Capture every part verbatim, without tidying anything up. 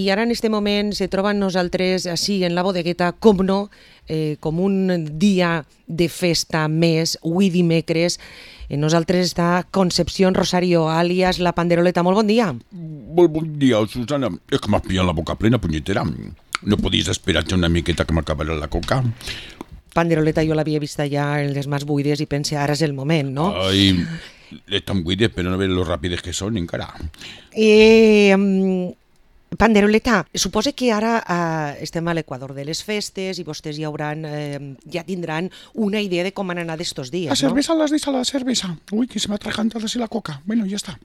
I ara en aquest moment se troben nosaltres així en la bodegueta, com no, eh, com un dia de festa més, avui dimecres. Eh, nosaltres està Concepción Rosario, alias La Panderoleta. Molt bon dia. Molt bon dia, Susana. És que m'has pillat la boca plena, punyetera. No podies esperar-te una miqueta que m'acabarà la coca? Panderoleta jo l'havia vista ja en les mans buides i pense ara és el moment, no? Ai, estan buides, però no veus lo ràpides que són encara. Eh... Um... Panderoleta, suposa que ara eh, estem a l'equador de les festes i vostès ja hauran, eh, ja tindran una idea de com han anat estos dies, La no? cerveza las deis a la cerveza. Uy, que se me ha atragantado así la coca. Bueno, ya está.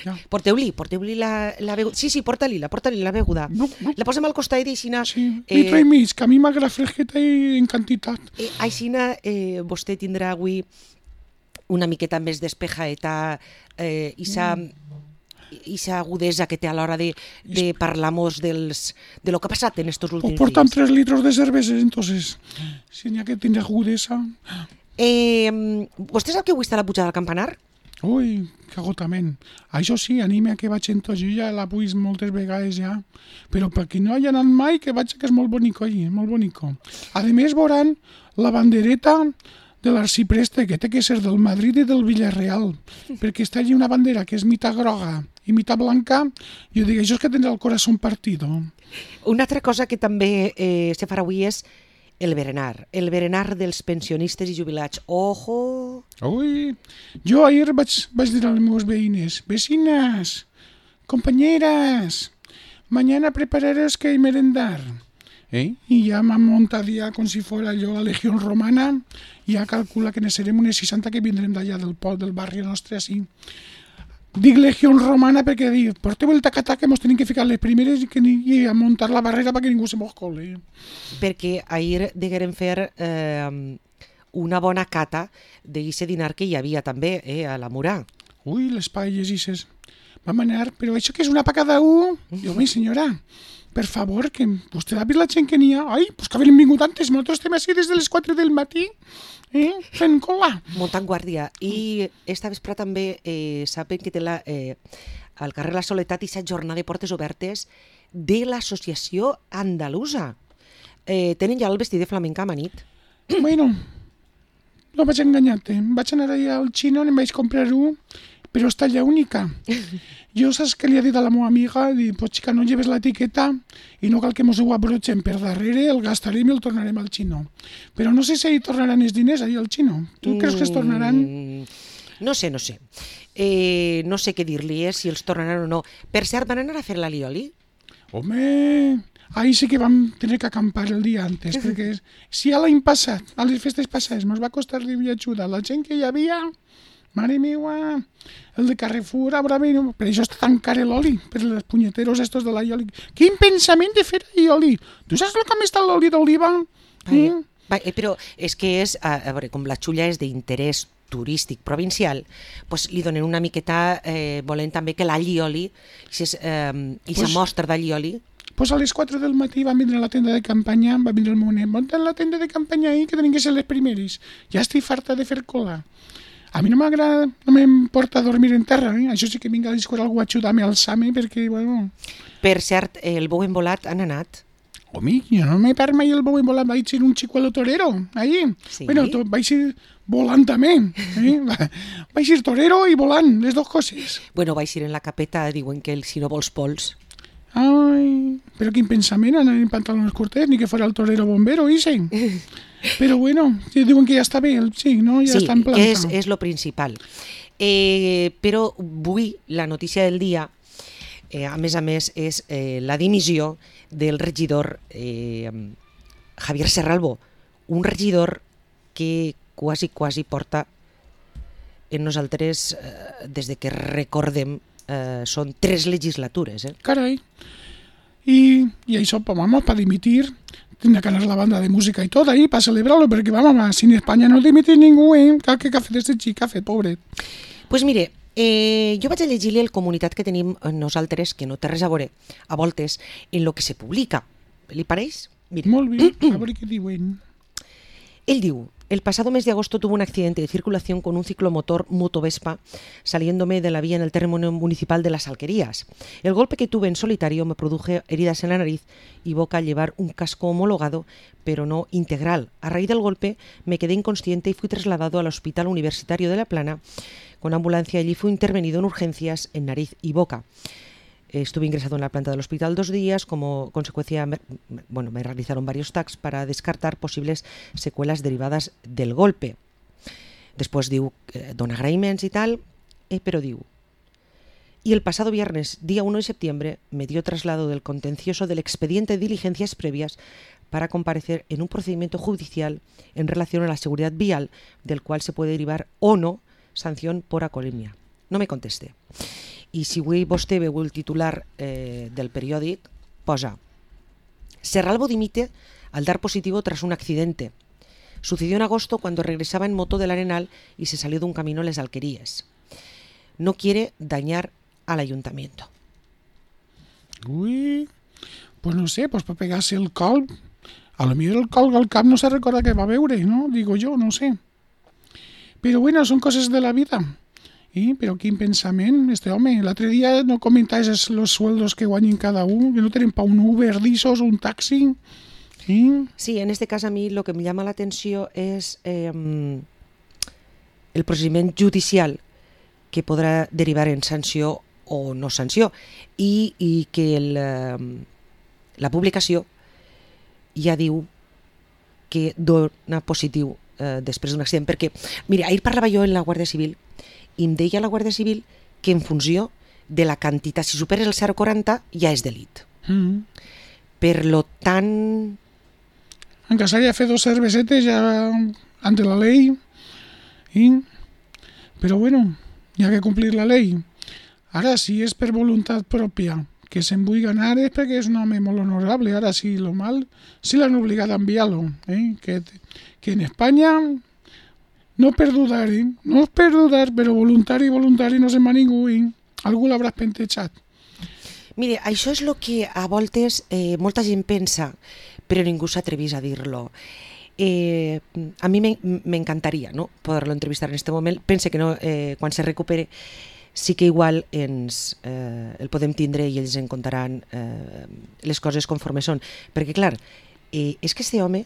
Ya. Porteu-li, porteu-li la, la beguda. Sí, sí, porta-li-la, porta-li la beguda. No, no. La posem al costat i aixina... Sí, litro i mig, que a mi m'agrada fresqueta i en quantitat. Eh, aixina eh, vostè tindrà avui una miqueta més despejaeta eh, i sa... Mm. i sa agudesa que té a l'hora de, de parlar-nos dels, de lo que ha passat en estos últims Pues portan dies. tres litros de cervesa, entonces, si n'hi ha que tindre agudesa... Eh, vostè sap que avui està la pujada del campanar? Ui, que agotament. Això sí, anime a que vaig en tot. Jo ja la puix moltes vegades ja. Però per qui no hi ha anat mai, que vaig, que és molt bonico allí, molt bonico. A més, veuran la bandereta de l'arcipreste, que té que ser del Madrid i del Villarreal, perquè està allí una bandera que és mitad groga i mitad blanca, i jo dic, això és que tindrà el corazón partido. Una altra cosa que també eh, se farà avui és el berenar, el berenar dels pensionistes i jubilats. Ojo! Ui, jo ahir vaig, vaig dir a les meves veïnes, vecinas, compañeras, mañana prepararos que hay merendar. Eh? I ja m'han muntat ja com si fos jo la Legió Romana, i ja calcula que ne serem unes seixanta que vindrem d'allà del poble, del barri nostre, així. Dic Legió Romana perquè dic, porteu el tacatà que mos tenim que ficar les primeres i, que, i a muntar la barrera perquè ningú se mos coli. Perquè ahir degueren fer eh, una bona cata d'aquest dinar que hi havia també eh, a la Murà. Ui, les paelles isses. Vam anar, però això que és una pa cada un? Jo, mi senyora, per favor, que vostè ha vist la gent que n'hi ha? Ai, pues que havien vingut antes, nosaltres estem així des de les quatre del matí, eh, fent cola. Muntant guàrdia. I esta vespre també eh, saben que té la, eh, al carrer La Soledat i set jornada de portes obertes de l'associació andalusa. Eh, tenen ja el vestit de flamenca amanit. Bueno, no vaig enganyar-te. Vaig anar allà al xino, em vaig comprar un, però és talla única. Jo saps què li ha dit a la meva amiga? Dic, pues xica, no lleves l'etiqueta i no cal que mos ho abrotxem per darrere, el gastarem i el tornarem al xino. Però no sé si hi tornaran els diners allà al xino. Tu mm, creus que es tornaran? No sé, no sé. Eh, no sé què dir-li, eh, si els tornaran o no. Per cert, van anar a fer l'alioli? Home, ahir sí que vam tenir que acampar el dia antes, perquè si a l'any passat, a les festes passades, ens va costar i ajudar la gent que hi havia... Mare meva, el de Carrefour, ara bé, per això està tan car l'oli, per els punyeteros estos de l'oli. Quin pensament de fer oli? Tu saps com està l'oli d'oliva? Eh? Eh, però és que és, a, a veure, com la xulla és d'interès turístic provincial, pues li donen una miqueta, eh, volent també que l'allioli, i eh, pues, sa mostra d'allioli. Pues a les quatre del matí van vindre a la tenda de campanya, va vindre el monet, munten la tenda de campanya ahir, que tenen que ser les primeres. Ja estic farta de fer cola. A mi no m'agrada, no m'importa dormir en terra, eh? Això sí que vinga a discutir algú a ajudar-me a alçar-me, perquè, bueno... Per cert, el bou embolat han anat? Home, jo no m'he perd mai el bou embolat, vaig ser un chicuelo torero, ahí. Sí? Bueno, to, vaig ser volant també, eh? Vaig ser torero i volant, les dues coses. Bueno, vaig ir en la capeta, diuen que el, si no vols pols. Ai, però quin pensament, anar en pantalons curtets, ni que fora el torero bombero, ise. Però bueno, diuen que ja està bé, sí, no? Ja sí, està en planta. Sí, és, és lo principal. Eh, però avui la notícia del dia, eh, a més a més, és eh, la dimissió del regidor eh, Javier Serralbo, un regidor que quasi, quasi porta en nosaltres, eh, des de que recordem, eh, són tres legislatures. Eh? Carai. I, i això, vamos, para dimitir... Tendrá que anar la banda de música y todo ahí para celebrarlo, perquè vamos, si en España no dimite ningú, eh? Que café d'este xic, café, pobre. Pues mire, eh, jo vaig a llegir-li el comunicat que tenim nosaltres, que no té res a veure, a voltes, en lo que se publica. Li pareix? Mire. Molt bé, a veure què diuen. Ell diu, El pasado mes de agosto tuve un accidente de circulación con un ciclomotor Motovespa saliéndome de la vía en el término municipal de Las Alquerías. El golpe que tuve en solitario me produjo heridas en la nariz y boca al llevar un casco homologado, pero no integral. A raíz del golpe me quedé inconsciente y fui trasladado al Hospital Universitario de La Plana con ambulancia. Allí fui intervenido en urgencias en nariz y boca. Estuve ingresado en la planta del hospital dos días. Como consecuencia, me, bueno, me realizaron varios tacs para descartar posibles secuelas derivadas del golpe. Después diu, eh, don agraïments y tal, eh, pero diu. Y el pasado viernes, día uno de septiembre, me dio traslado del contencioso del expediente de diligencias previas para comparecer en un procedimiento judicial en relación a la seguridad vial, del cual se puede derivar o no sanción por acolemia. No me contesté. I si avui vostè veu el titular eh, del periòdic, posa: Serralvo dimite al dar positivo tras un accidente. Sucedió en agosto cuando regresaba en moto del Arenal y se salió de un camino a Les Alquerías. No quiere dañar al ayuntamiento. Uy, pues no sé, pues para pegarse el colp. A lo mejor el colp al cap no se recuerda que va a veure, ¿no? Digo yo, no sé. Pero bueno, son cosas de la vida. ¿Y? Pero quin pensament, este home. L'altre dia no comentaves los sueldos que guanyen cada uno, que no tienen para un Uber d'issos o un taxi. ¿Sí? Sí, en este caso a mí lo que me llama la atención es eh, el procediment judicial que podrà derivar en sanció o no sanció i, i que el, eh, la publicació ja diu que dona positiu eh, després d'un accident, perquè mira, ahir parlava jo en la Guàrdia Civil i em deia la Guàrdia Civil que en funció de la quantitat, si superes el zero coma quaranta ja és delit. Mm. Per lo tant... Aunque se haya fet dos cervesetes ya ante la ley. ¿Y? Pero bueno, ya que cumplir la ley. Ahora si es per voluntad propia que se'n vull ganar es perquè és un home molt honorable. Ahora sí, lo mal, sí l'han obligat a enviar-lo. ¿eh? Que, que en España... No per dudar, eh? No és per dudar, però voluntari, voluntari no se'n va ningú, eh? Algú l'hauràs pentejat. Mire, això és el que a voltes eh, molta gent pensa, però ningú s'atrevís a dir-lo. Eh, a mi m'encantaria, ¿no?, poder-lo entrevistar en este moment. Pense que no, eh, quan se recupere sí que igual ens eh, el podem tindre i ells en contaran eh, les coses conforme són. Perquè, clar, eh, és que este home,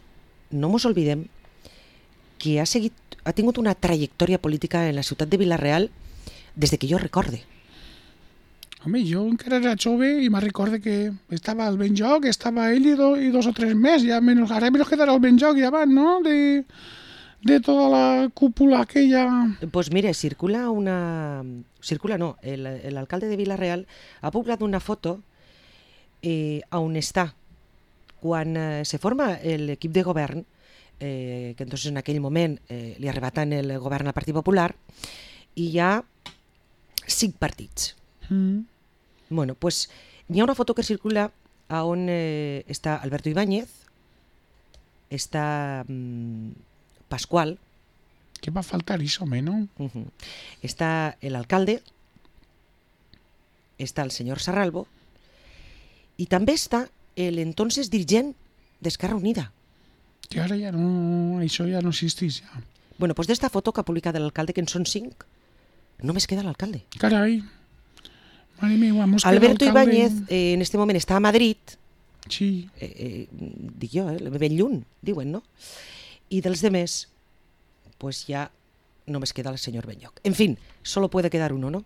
no mos oblidem, que ha seguit, ha tingut una trajectòria política en la ciutat de Vila-real des de que jo recorde. Home, jo encara era jove i me recorde que estava al Benlloc, estava ell i, do, i dos o tres més, ja menos, ara menos quedarà al Benlloc ja van, no?, de, de tota la cúpula aquella... Pues mire, circula una... Circula no, l'alcalde de Vila-real ha publicat una foto eh, on està quan eh, se forma l'equip de govern, eh, que entonces en aquell moment eh, li arrebatan el govern al Partit Popular, i hi ha cinc partits. Mm. Bueno, pues hi ha una foto que circula on eh, està Alberto Ibáñez, està mm, Pascual, Que va faltar això, home, no? uh-huh. Està l'alcalde, està el senyor Sarralbo i també està l'entonces dirigent d'Esquerra Unida. Que ara ja no... Això ja no existeix, ja. Bueno, pues d'esta foto que ha publicat l'alcalde, que en són cinc, només queda l'alcalde. Carai. Mare meva, mos queda Alberto alcalde... Ibáñez eh, en este moment està a Madrid, Sí. eh, eh, dic jo, eh, ben lluny, diuen, no? I dels demés, pues ja només queda el senyor Benlloc. En fin, solo puede quedar uno, ¿no?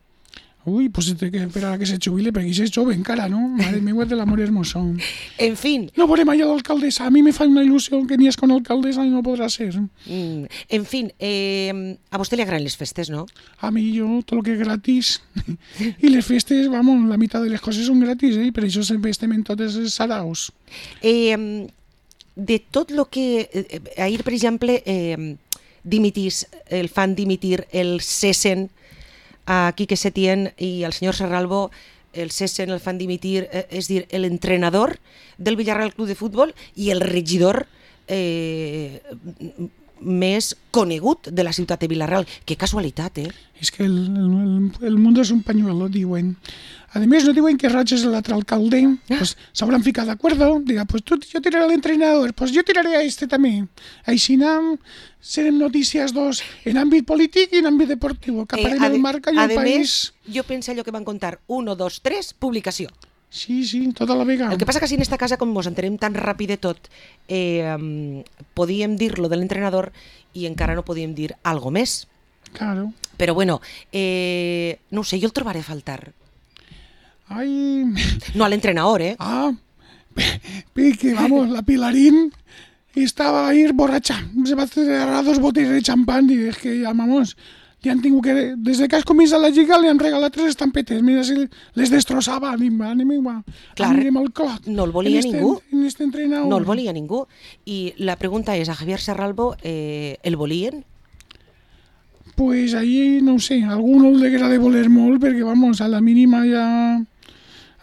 Uy, pues se té que esperar a que se jubile, perquè és jove encara, no? Mare meva de l'amor hermoso. En fin, No veurem allà l'alcaldessa. A mi me fa una il·lusió que ni és con alcaldessa i no podrà ser. mm, en fin, eh, a vostè li agraden les festes, no? A mi jo, tot el que és gratis. I les festes, vamos, la meitat de les coses són gratis, eh? Per això sempre estem en totes els saraos. Eh, de tot el que... Eh, ahir, per exemple, eh, dimitís, el fan dimitir, el cessen a Quique Setién i al senyor Sarralbo, el cessen, el fan dimitir, eh, és dir, l'entrenador del Villarreal Club de Futbol i el regidor eh, més conegut de la ciutat de Vila-real. Que casualitat, eh? És que el, el, el mundo és un pañuelo, diuen. A més, no diuen que Roig és l'altre alcalde, pues s'hauran ficat d'acuerdo, dirà, pues tu, jo tiraré a l'entrenador, pues jo tiraré a este també. Així anem, serem notícies dos en àmbit polític i en àmbit deportiu, que aparem el marca i el país. A més, jo penso allò que van contar, uno, dos, tres, publicació. Sí, sí, tota la vegada. El que passa que si en esta casa, com ens entenem tan ràpid de tot, eh, um, podíem dir-lo de l'entrenador i encara no podíem dir algo més. Claro. Però bueno, eh, no ho sé, jo el trobaré a faltar. Ay. No al entrenador, ¿eh? Ah, que vamos, la Pilarín estaba ahí borracha. Se va a cerrar dos botellas de champán y es que ya, vamos, li han tingut que... Desde que has començat la lliga li han regalat tres estampetes. Mira si les destrossava. Anem, anem, Clar, anem al clot. No el volia en este, ningú. En este entrenador. No el volia ningú. I la pregunta és, a Javier Serralbo, eh, el volien? Pues ahí, no sé, a alguno le haguera de voler molt, perquè, vamos, a la mínima ja...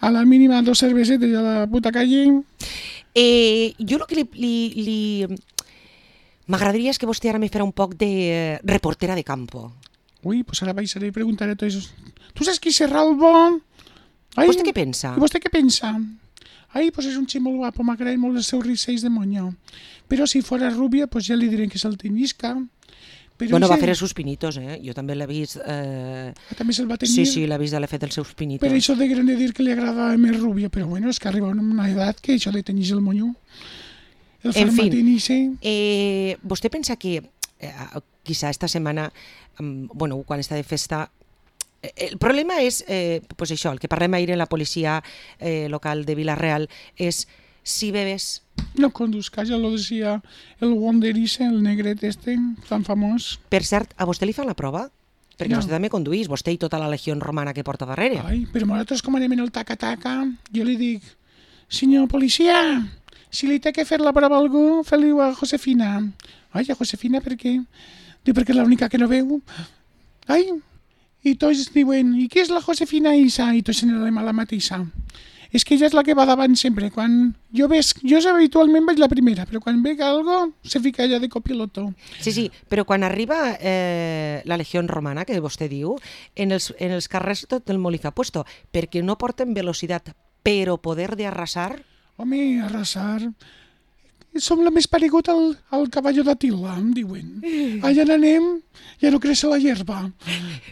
A la mínima dos cervesetes i a la puta calle. Eh, jo el que li... li, li... M'agradaria és que vostè ara me farà un poc de reportera de campo. Ui, pues ara baixaré i preguntaré a tots esos. Tu saps qui Serralbo? Ai, ¿Vostè què pensa? I vostè què pensa? Ai, pues és un xic molt guapo, m'agraden molt els seus risells de monyo. Però si fora rubia, pues ja li diré que se'l tenyisca. Però Bueno, ese... va fer els seus pinitos, eh? Jo també l'he vist... Eh... Ah, també se'l va tenir? Sí, sí, l'he vist, l'he fet els seus pinitos. Per això de gran de dir que li agradava més rubia, però bueno, és que arriba a una edat que això de tenyir el monyo. El En fin, farmatinice... eh, vostè pensa que eh, quizá esta setmana, um, bueno, quan està de festa, eh, el problema és, eh, pues això, el que parlem ahir en la policia eh, local de Vila-real, és si bebes... No conduzcas, ja lo decía el Wonderice, el negret este, tan famós. Per cert, a vostè li fan la prova? Perquè No. vostè també conduís, vostè i tota la legió romana que porta darrere. Ai, però nosaltres com anem en el taca-taca, jo li dic, senyor policia, si li té que fer la prova a algú, feu-li a Josefina. Ai, a Josefina per què? Diu, perquè és l'única que no veu. Ai, i tots diuen, i qui és la Josefina Isa? I tots anem a la mateixa. És que ella és la que va davant sempre. Quan jo ves, jo habitualment vaig la primera, però quan veig algo se fica ella de copiloto. Sí, sí, però quan arriba eh, la legió romana, que vostè diu, en els, en els carrers tot el molí fa puesto, perquè no porten velocitat, però poder de arrasar... Home, arrasar... Som la més paregut al, al cavall d'Atila, em diuen. Allà n'anem, ja no creix la hierba.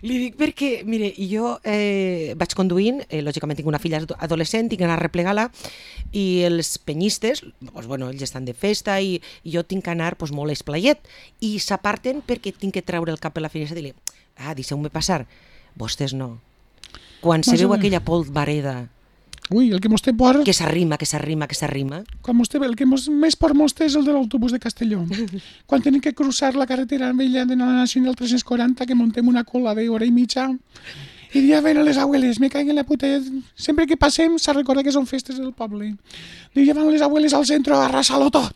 Li dic perquè, mire, jo eh, vaig conduint, eh, lògicament tinc una filla adolescent, tinc que anar a replegar-la, i els penyistes, doncs, bueno, ells estan de festa i, i jo tinc que anar doncs, molt esplayet, i s'aparten perquè tinc que treure el cap per la finestra i dir, ah, deixeu-me passar. Vostès no. Quan se veu aquella polvareda Ui, el que mos té por... que s'arrima, que s'arrima, que s'arrima... Quan mos té, el que mos, més por mos té és el de l'autobús de Castelló. Quan tenim que cruzar la carretera vella de la Nacional tres-cents quaranta, que montem una cola d'hora i mitja, i ja ven a les abueles, me caiguen la puta... Sempre que passem s'ha recordat que són festes del poble. I ja van les abueles al centre a arrasar-lo tot.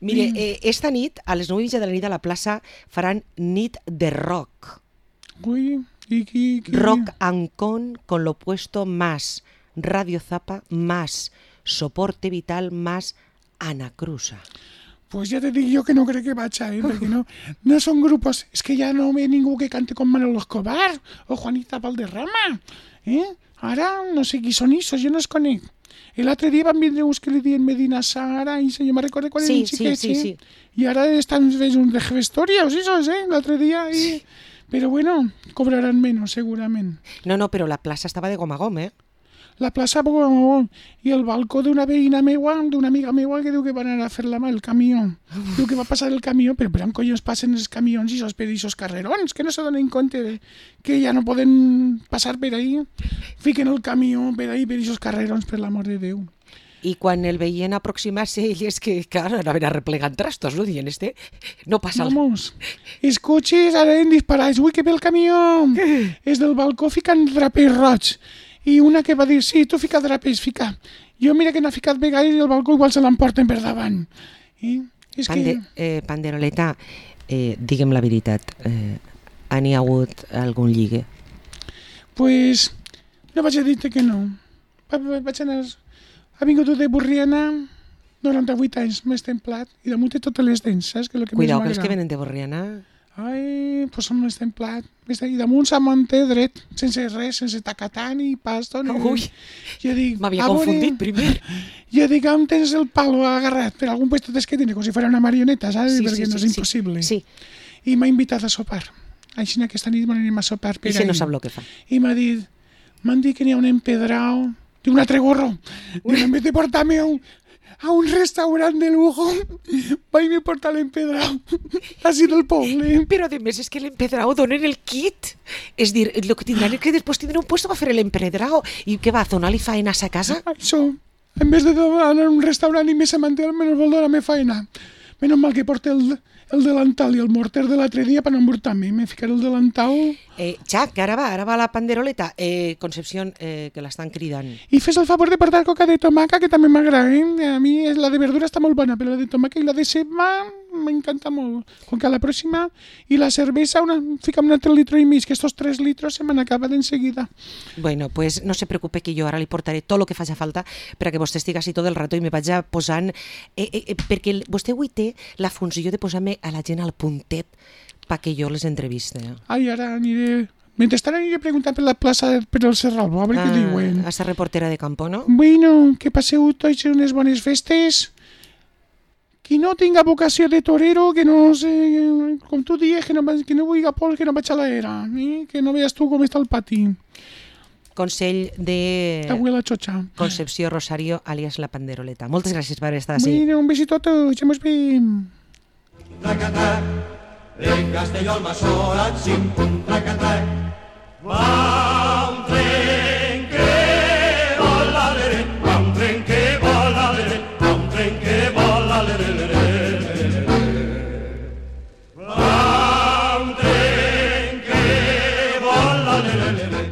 Mire, eh, esta nit, a les nou i mitja de la nit a la plaça, faran nit de rock. Ui, i qui... qui... Rock Ancón con lo opuesto más Radio Zapa, más Soporte Vital, más Anacrusa. Pues ja te dic jo que no crec que vaig, eh? Perquè no, no són grupos... És que ja no ve ningú que cante com Manolo Escobar o Juanita Valderrama. Eh? Ara no sé qui són issos, jo no els conec. L'altre dia van vindre uns que li diuen Medina Sara, i jo me recordo quan Sí, eren xiquets, sí, sí, eh? I ara estan fent un de gestorios, issos, eh? L'altre dia... I... Però bueno, cobraran menys, segurament. No, no, però la plaça estava de gom a gom, eh? La plaça Bogomó i el balcó d'una veïna meua, d'una amiga meua que diu que van anar a fer la mà el camió. Diu que va passar el camió, però per on collons passen els camions i els pedissos carrerons, que no se donen compte que ja no poden passar per ahí. Fiquen el camió per ahí, pedissos carrerons, per l'amor de Déu. I quan el veien aproximar-se, ell és que, clar, anaven arreplegant trastos, no? Dient, este no passa... Vamos, els cotxes anaven disparats. Ui, que ve el camió! És del balcó ficant drapers roig. I una que va dir, sí, tu fica drapers, fica. Jo mira que n'ha ficat vegades i el balcó igual se l'emporten per davant. I és Pande, que... eh, Panderoleta, eh, digue'm la veritat, eh, ha n'hi hagut algun lligue? Pues no vaig a dir-te que no. Va- va- Vaig anar... Ha vingut de Borriana noranta-vuit anys, més templat, i damunt té totes les dents, saps? Que és el que Cuidao, més que els que m'agrada. venen de Borriana... Ai, pues són més templat. I damunt se'm manté dret, sense res, sense tacatar ni pasto. Ni... Ui, jo dic, m'havia a veure, confundit primer. Jo dic, on tens el palo agarrat? Per algun puesto tens que tenir, com si fuera una marioneta, saps? Sí, Perquè sí, no és sí, impossible. Sí, I m'ha invitat a sopar. Així aquesta nit m'anem a sopar per i si ahí. no sap el que fa. I m'ha dit, m'han dit que n'hi ha un empedrao, diu, un altre gorro. Diu, en vez de portar-me a un, a un restaurant de lujo, vaig me portar l'empedrao. Així del poble. Però a més és que l'empedrao donen el kit. És dir, el que tindran és que després tindran un puesto per fer l'empedrao. I què va, a donar-li faena a sa casa? Això, en vez de anar a un restaurant i més manté, almenys vol donar-me feina. Menos mal que porta el, el delantal i el morter de l'altre dia per no embrutar-me. Me ficaré el delantal... Eh, Jack, ara va, ara va la panderoleta. Eh, Concepción, eh, que l'estan cridant. I fes el favor de portar coca de tomaca, que també m'agrada, eh? A mi la de verdura està molt bona, però la de tomaca i la de ceba m'encanta molt. Com que a la pròxima... I la cervesa, una, fica'm un altre litro i mig, que estos tres litros se m'han acabat enseguida. Bueno, pues no se preocupe que jo ara li portaré tot el que faci falta per a que vostè estigui així tot el rato i me vaig posant... Eh, eh, eh, perquè vostè avui té la funció de posar-me a la gent al puntet perquè jo les entreviste. Ai, ara aniré... Mentrestant aniré preguntant per la plaça per el Serral, a veure Ah, què diuen. a ser reportera de campo, no? Bueno, que passeu tots unes bones festes. Qui no tinga vocació de torero, que no sé, com tu dies, que no, que no vulgui pol, que no vaig a l'era, eh? Que no veies tu com està el pati. Consell de Abuela Chocha. Concepció Rosario, alias La Panderoleta. Moltes gràcies per estar així. Bueno, un besito a tots, ja mos veiem. Tracatac, de Castelló al Massorat, sim, pum, tracatac. Va un tren que vola, lere, va un tren que vola, lere, va un tren que vola, lere, lere, lere. Va un tren que vola, lere, lere.